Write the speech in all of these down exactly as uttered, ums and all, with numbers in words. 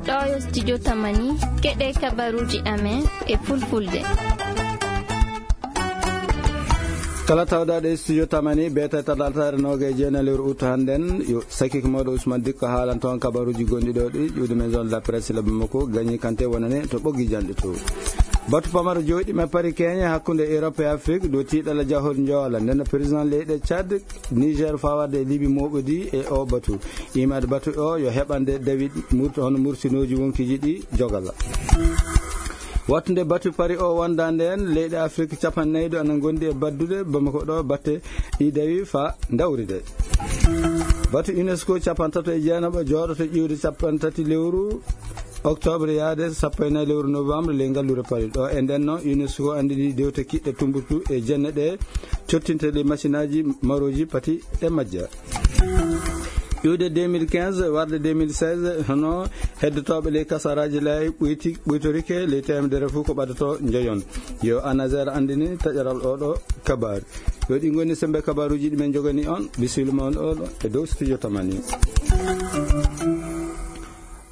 Ɗo yo studio Tamani, keɗe kabaruji amen e fulfulde. Kala tawdaɗo e studio Tamani, beta talatare noga e jeena lewru ut hannden, yo sakiko mawɗo Ousmane Dikko haalan toon kabaruji gonɗi ɗo ɗi, ƴuwde maison de la presse le Bamako, Gagné Kanté wonane to ɓoggi janɗe to. Batu pamaro jooɗi ma Paris Kenya hakkunde Europe e Afrique, ɗo tiiɗala jahol njoola, nden président leyɗe Tchad, Niger fawarde e Libi moɓodi e o batu. Imade batu o yo heɓande dawi murti hono mursinooji wonkiji ɗi jogala. Wattunde batu pari o wonda nden, leyɗe Afrique capanɗe nayi ɗo ana gondi e baddude Bamako ɗo batte ɗi dawi fa dawride. Batu UNESCO capantato e jeenaɓo jooɗoto ƴiwde capantati lewru octobre yaade sappo e nayi lewru novembre ley ngallure Paris. Ɗo e nden no UNESCO andini dewte kiɗɗe tumbutu e jenne ɗe cottinte ɗe machinaji maroji pati e majja. Iwde deux mille quinze warde deux mille seize, hono heddotoɓe ley kasaraji lay ɓoyti, ɓoytorike ley temedere fof ko ɓadato njoyon. Yo Anazar andini taƴaral oɗo kabaru. Yo ɗi ngoni sembe kabaruji ɗi men jogani on, bisimilla mon oɗo e dow studio Tamani.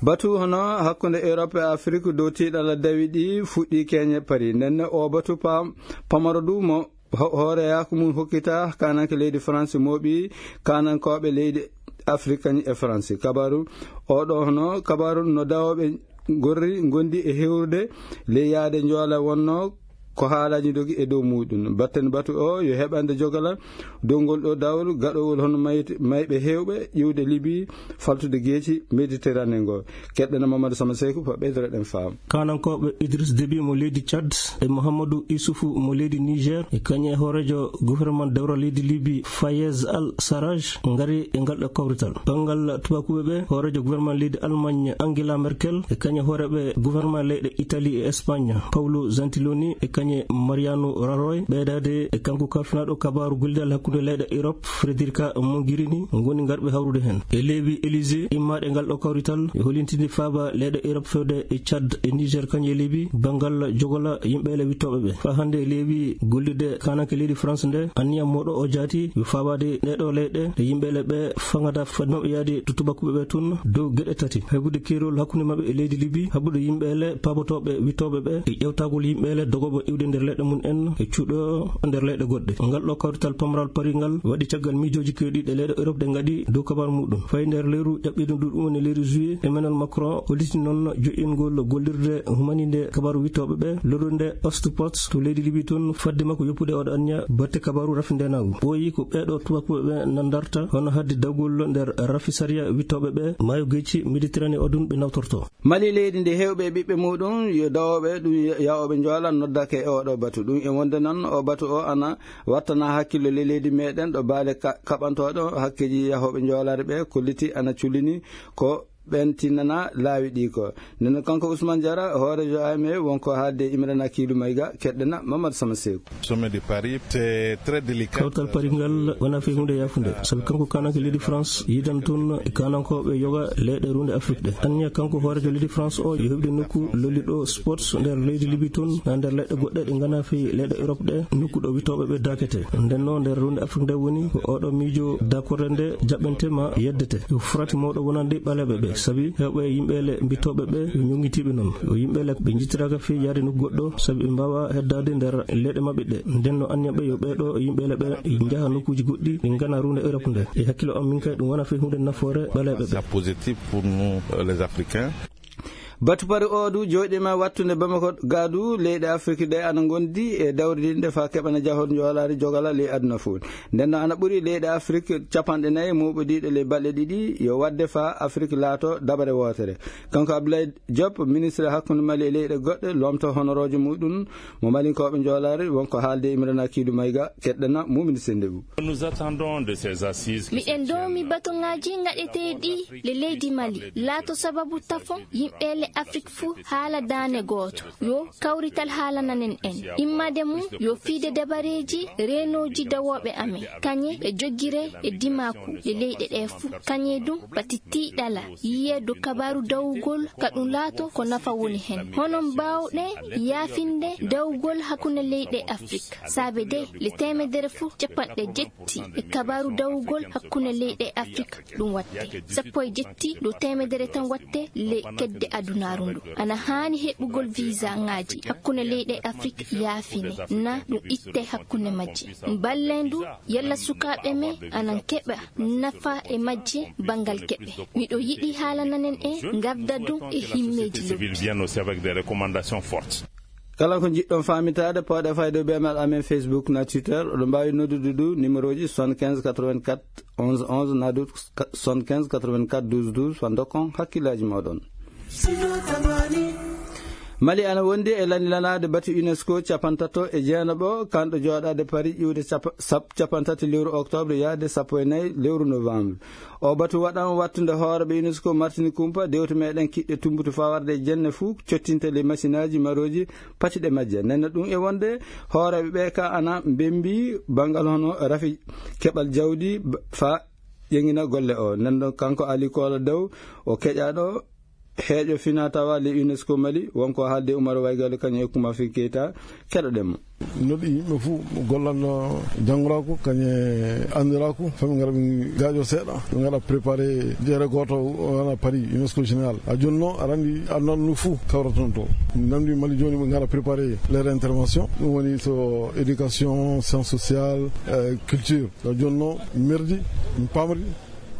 Batu hono hakkunde Europe e Afrique dow tiiɗala dawi ɗi fuɗɗi Kenya Paris. Ndenne o batu pam-, pamaro du mo ho-, hoore yaku mum hokkita kananke leydi France moɓi kanankoɓe leydi Afrique kañum e France. Kabaru oɗo hono kabaru no dawoɓe gorri gondi e hewrude ley yaade joola wonno ko haalaji dogi e dow muɗum. Batten batu o yo heɓande jogala dow ngol ɗo dawol gaɗowol hono mayti-, mayɓe hewɓe ƴiwde Libi faltude geeci Méditerranée ngo. Keɗɗena Mamadou Sama Seyku fa ɓeydoroɗen faam. Kanankoɓe Idriss Déby mo leydi Tchad e Mouhamadou Issoufou mo leydi Niger e kañum e hoorejo gouvernement dewral leydi Libi Fayez Al Sarraj ngari e ngal ɗo kawrital. Banngal tubakuɓe ɓe, hoorejo gouvernement leydi Allemagne Angela Merkel e kañum e hooreɓe gouvernement leyɗe Italie e Espagne Paolo Gentiloni e kañum e Mariano Rajoy, ɓeydade e kanko kalfinaɗo kabaru gollidal hakkunde leyɗe Europe Federica Mogherini ngoni ngarɓe hawrude hen. E leewi Élysée immaɗe ngal ɗo kawrital e holintinde faaba leyɗe Europe fewde e Tchad e Niger kañum e Libi banngal jogola yimɓe ele wittoɓe ɓe. Fa hannde e leewi gollidde kananke leydi France nde, anniya moɗo o jaati yo faabade ɗe ɗo leyɗe ɗe yimɓe ele ɓe fangata fodde maɓɓe yaade to tubakuɓe ɓe tun dow geɗe tati. Haybude keerol hakkunde maɓɓe e leydi Libi, haɓude yimɓe ele paabotoɓe wittoɓe ɓe e ƴewtagol yimɓe ele dogoɓe iwde nder leyɗe mum en e cuuɗo nder leyɗe goɗɗe. Ngal ɗo kawrital pamral Paris ngal waɗi caggal miijooji kewɗi ɗe leyɗe Europe ɗe ngaɗi dow kabaru muɗum. Fayi nder leyru ƴaɓɓiɗum ɗum woni leyru juillet, Emmanuel Macron holliti noon joƴƴingol gollirde humaninde kabaru wittoɓe ɓe, lorrude Ostpot to leydi Libi toon, fadde makko yoppude oɗo anniya batte kabaru rafi ndenagu. Ɓooyi ko ɓeɗo tubakuɓe ɓe nandarta hono hadde dawgol nder rafi sariya wittoɓe ɓe maayo geeci Méditerranée o ɗum ɓe nawtorto. Mali leydi ndi hewɓe e ɓiɓɓe muɗum yo dawoɓe ɗum yahoɓe joola noddake e oɗo batu. Ɗum e wonde noon o batu o ana wattana hakkillo le leydi meɗen ɗo baale ka-, kaɓantoɗo hakkeji yahoɓe joolare ɓe kolliti ana cullini ko ɓen tinnana laawi ɗi ko. Nden kanko Ousmane Diarra, hoorejo A M E, wonko haalde e Imrana Kiilu Mayga, keɗɗena Mamadou Sama Seeku. Sommet de Paris, c'est très délicat. Kawtal Paris ngal wona fe hunde yafunde. Sabi kanko kananke leydi France yidan toon e kanankoɓe yoga leyɗe runde Afrique ɗe. Anniya kanko hoorejo leydi France o yo heɓde nokku lolliɗo sports nder leydi Libi toon, na nder leyɗe goɗɗe ɗe ngana fe leyɗe Europe ɗe, nokku ɗo witoɓe ɓe dakete. Nden no nder runde Afrique nde woni ko oɗo miijo dakorde nde jaɓɓente ma yeddete. Yo frati mawɗo wonande ɓaleɓe ɓe. Sabi hewɓe yimɓe le mbitoɓe ɓe yo ñoŋitiɓe noon. Yo yimɓe le ɓe jittiraka fe yaade nokku goɗɗo, sabi ɓe mbawa heddade nder leyɗe maɓɓe ɗe. Nden no anniya ɓe yo ɓeɗo yimɓe le ɓe njaha nokkuji goɗɗi ɗi ngana runde Europe nde. E hakkilo am min kay ɗum wona fe hunde nafoore ɓaleɓe ɓe. C'est positif pour nous, euh, les Africains. Batu pari o du jooɗima wattude Bamako gadu leyɗe Afrique ɗe ana gondi e dawridinde fa keɓana jahol joolare jogala ley aduna fof. Nden no ana ɓuri leyɗe Afrique capanɗe nayi muɓodiɗo ley balɗe ɗiɗi yo wadde fa Afrique laato dabare wootere. Kanko Abdoulaye Diop, ministre hakkunde Mali e leyɗe goɗɗe, lomto honorojo muɗum mo Malinkoɓe joolare, wonko haalde Imrana Kiidu Mayga, keɗɗana mumini sendebu. Nous attendons de ces assises. Miɗen doomi batuŋaaji ngaɗeteeɗi le leydi Mali laato sababu tafo yimɓe le Afrik fuu haala daane gooto, yo kawrital haalananen en. Immade mum yo fiide dabareeji reenooji dawooɓe amen, kañe e joggire e dimaaku e leyɗe ɗe fuu. Kañe ɗum pati tiiɗala, yiyeedo kabaaru dawugol ka ɗum laato ko nafa woni heen. Hono mbaawɗe yaafinde dawugol hakkunde leyɗe Afrik? Saabe de le teemedere fuu capanɗe jetti e kabaaru dawugol hakkunde leyɗe Afrik ɗum watte. Sappo e jetti dow teemedere tan watte le kedde adunaaru ndu. Ana haani heɓugol visa ŋaaji hakkunde leyɗe Afrik yaafine, na ɗum itte hakkunde majje. Mballen du yalla sukaaɓe men ana keɓa nafa e majje banngal keɓe. Miɗo yiɗi haalananen en ngarda du e himmeeji lobbi. Civil viennent aussi avec des recommandations fortes. Kala ko njiɗɗon faamitaade, pooɗe fayde beenal amen Facebook na Twitter. Oɗon mbaawi noddude du numéroji soixante-quinze quatre-vingt-quatre onze onze na du soixante-quinze quatre-vingt-quatre douze douze, fando kon hakkillaaji mooɗon. Mali ana wondi e lanilanaade batu UNESCO capantato e jeenaɓo, kanɗo jooɗaade Paris ƴiwde capa-, sap-, capantati lewru octobre yaade sappo e nayi lewru novembre. O batu waɗan wattunde hooreɓe UNESCO Martini Kumpa, dewte meɗen kiɗɗe tumbutu fawarde e jenne fuu cottinte le masinaaji marooji patiɗe majje. Nenna ɗum e wonde hooreɓe ɓe ka ana mbembi bangal hono rafi keɓal jawdi ba-, fa ƴeŋina golle o. Nden ɗon kanko Ali Koola Daw, o keƴaɗo heeƴo fina tawa le UNESCO Mali, wonko haalde Umar Waygalu kañum e Kuma Fi Keita, keɗoɗen mo. Noɗi yimɓe fuu gollan, uh, janngoraaku, kañum e anndiraaku, fami ngara ɓe gaajo seeɗa, ɓe ngara préparé jeere gooto, wana Paris, UNESCO Général. A jooni noon, aɗa anndi aduna ndu fuu kawrata toon to. Namdi Mali jooni ɓe ngara préparé leur intervention, ɗum woni to éducation, sciences sociales, euh, culture. A jooni noon, merdi, mi pamri,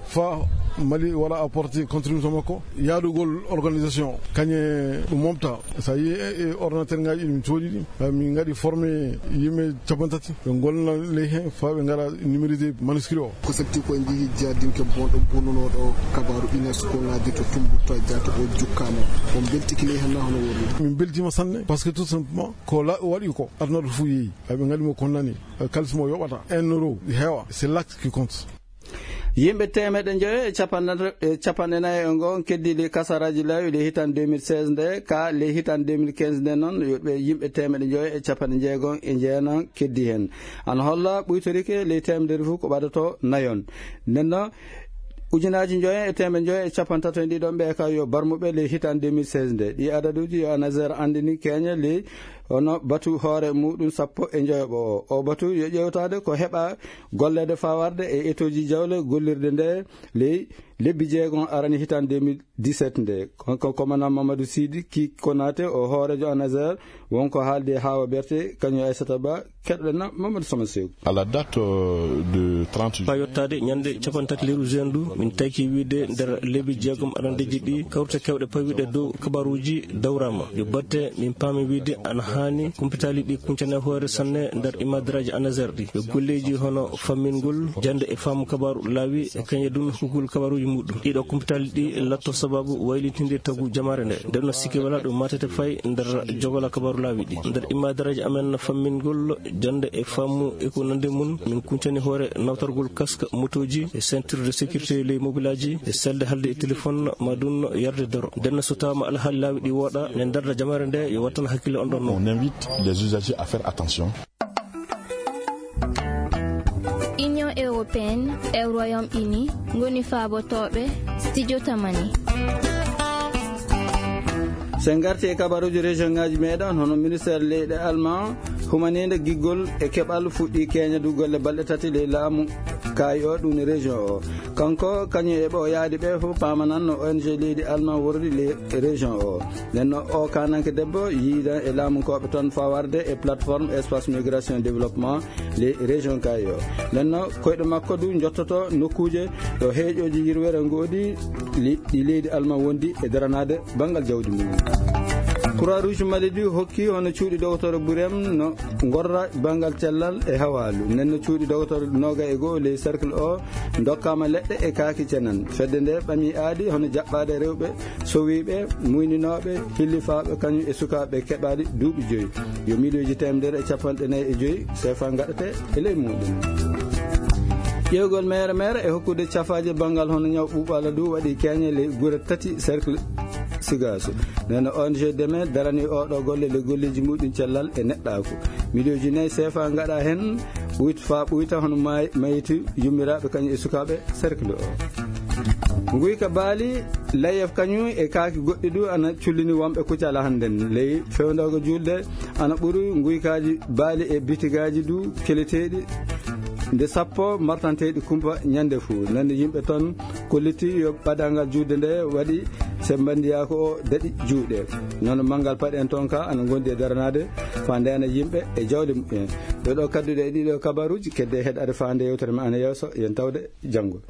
fa Mali wala apporté contribution makko, yaadugol organisation, kañe ɗum momta. Sa yi e, e ordinateur ngaji ɗum coodi ɗi, eh, min ngaɗi formé yimɓe capantati, ɓe golna ley he, fa ɓe ngara numérisé manuscrit o. Ko safti ko en njihi jardinke bonɗo bonnunoɗo kabaru UNESCO ngaji to Tumbutu Jata o jukkama. On beltiki ley hen na hono woni? Min beltima sanne, parce que tout simplement, ko la-, waɗi ko, aduna ɗo fof yeeyi. Ay ɓe ngaɗi mo ko nani, eh, kalis mo yoɓata, un euro, heewa, c'est l'acte qui compte. Yimɓe teemeɗe njoyo e capanɗe, e capanɗe nayi e ngo on keddii ley kasaraaji laawi ley hitande deux mille seize nde, ka ley hitande deux mille quinze nde noon, yo ɓe yimɓe teemeɗe njoyo e capanɗe jeegom e jeenam keddii heen. Ana holla ɓuytorike ley teemedere fof ko ɓadato nayon. Nden noon, ujunaaji njoyo e teemeɗe njoyo e capanɗe tato e ɗiɗon ɓe ka yo barmuɓe ley hitande deux mille seize nde. Ɗi adaduuji yo ANASER anndini keñe ley hono batu hoore muɗum sappo e njoyoɓo o. O batu yo ƴeewtaade ko heɓa golleede fawarde e etoji jawle gollirde nde ley lebbi jeegom arani hitande deux mille dix-sept nde. Kanko commandant Mamadou Sidi Ki Konaté o hoorejo ANASER wonko haaldi e Hawa Berté kañum Aissata Ba, keɗoɗen na Mamadou Sama Sew. À la date, euh, de trente juin. Fa yottaade ñande capanɗe tati lewru juin ndu, min tawki wiide nder lebbi jeegom arandeeji ɗi, kawrite kewɗe pawiɗe dow kabaruuji dawraama. Yo batte min paami wiide ana haani kumpitaali ɗi kuncane hoore sanne nder imadaraaji ANASER ɗi. Yo golleeji hono fammingol, jande e faamu kabaru laawi, e kañe ɗum hokkugol kabaruuji muɗum. Ɗiɗo kumpitaali ɗi latto sababu waylitinde tagu jamaare nde. Nden no sikki wala ɗum matete fay nder jogola kabaru laawi ɗi. Nder imadaraaji amen fammingol, jande e faamu e ko nandi mun, min kuncani hoore nawtorgol casque motooji e ceinture de sécurité ley mobilaaji e selde haalde e téléphone ma ɗum yarde doro. Nden so tawaama alhaali laawi ɗi wooɗa, ne darda jamaare nde yo wattan hakkille on ɗon noon. On invite les usagers à faire attention. Union européenne e Royaume-Uni ngoni faabotooɓe Studio Tamani. So en ngarti e kabaruuji région ngaji meɗen, hono ministère leyɗe Allemand humaniinde giggol e keɓal fuɗɗi keña du golle balɗe tati ley laamu kaayi o, ɗum ne région o. Kanko, kañum e ɓe o yaadi ɓe fof paamanan no O N G leydi Allemand wordi ley région o. Nden no o kananke debbo yiidan e laamunkooɓe toon fawarde e plateforme espace migration développement ley région kaayi o. Nden no koyɗe makko du jottoto nokkuuje ɗo heeƴooji yirwere ngoodi li-, ɗi leydi Allemand wondi e daranaade banngal jawdi mum. Croix Rouge Mali du hokki hono cuuɗi dogotoro Burem no ngorra banngal cellal e hawaalu. Nden no cuuɗi dogotoro noga e goo ley cercle o dokkama leɗɗe e kaaki cenan. Fedde nde ɓami aadi hono jaɓɓaade rewɓe sowiiɓe, muyninooɓe, hillifaaɓe, kañum e sukaaɓe keɓaali duuɓi joyi. Yo miliyoji teemedere e capanɗe nayi e joyi sefa ngaɗete e ley muɗum. Ƴeewgol meere meere e hokkude cafaaje banngal hono ñaw ɓuuɓala du waɗi keñe ley gure tati cercle Sigaso. Nana O N G Deme darani oɗo golle le golleji muɗum cellal e neɗɗaaku. Miliyonji nayi sefa ngaɗa hen ɓuyta fa ɓuyta hono may-, mayti yummiraaɓe kañum e sukaaɓe cercle o. Nguyka baali, layef kañum e kaaki goɗɗi du ana cullini wonɓe Kucala hannden. Ley fewndooga julde ana ɓuri nguykaaji baali e bitigaaji du keleteeɗi nde sappo martanteeɗi kumpa ñande fuu. Nande yimɓe toon kolliti yo ɓadangal juulde nde waɗi sembandiyaaku o daɗi juuɗe. Noon manngal paɗe en toon ka ana ngondi e daranaade fa ndena yimɓe e jawle muɓɓen. Ɗo ɗo kadduɗe e ɗiɗo kabaruuji kedde heɗade fa nde yewtere ma ana yeeso yen tawde janngo.